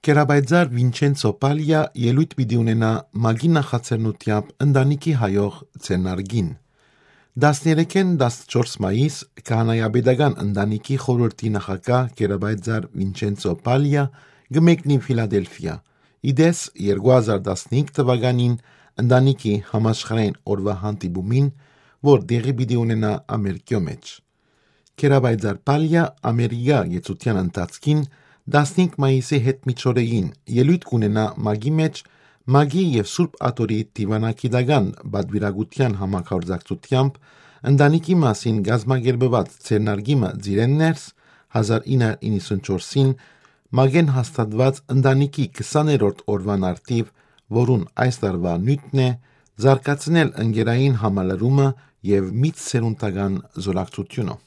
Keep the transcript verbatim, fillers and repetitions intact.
Կերապայծառ Վինչենցո Պալիա ելոյթ պիտի ունենայ ՄԱԿ-ի նախաձեռնութեամբ ընտանիքի հայող ձեռնարկին։ Տասներեքէն տասնչորս մայիս քահանայապետական ընտանիքի խորհրդի նախագահ Կերապայծառ Վինչենցո Պալիա կը մեկնի Ֆիլադելֆիա։ Ի դէս, երկու հազար տասնհինգ թվականին ընտանիքի համաշխարհային օրուայ հանդիպումին, որ տեղի պիտի ունենայ Ամերիկիոյ մէջ։ Կերապայծառ Պալիա Ամերիկայ գեցության ընթացքին տասնհինգ մայիսի հետ միջօրեին ելոյթ կունենայ ՄԱԿ-ի մէջ ՄԱԿ-ի եւ Սուրբ Աթոռի դիւանագիտական պատուիրակութեան համագործակցութեամբ ընտանիքի մասին կազմակերպուած ձեռնարկի մը ծիրէն ներս հազար ինը հարիւր իննսունչորսին ՄԱԿ-էն հաստատուած ընտանիքի քսաներորդ օրուան արդիւ, որուն այս տարուայ նիւթն է զարգացնել ընկերային համալրումը եւ միցսերունդական զօրակցութիւնը։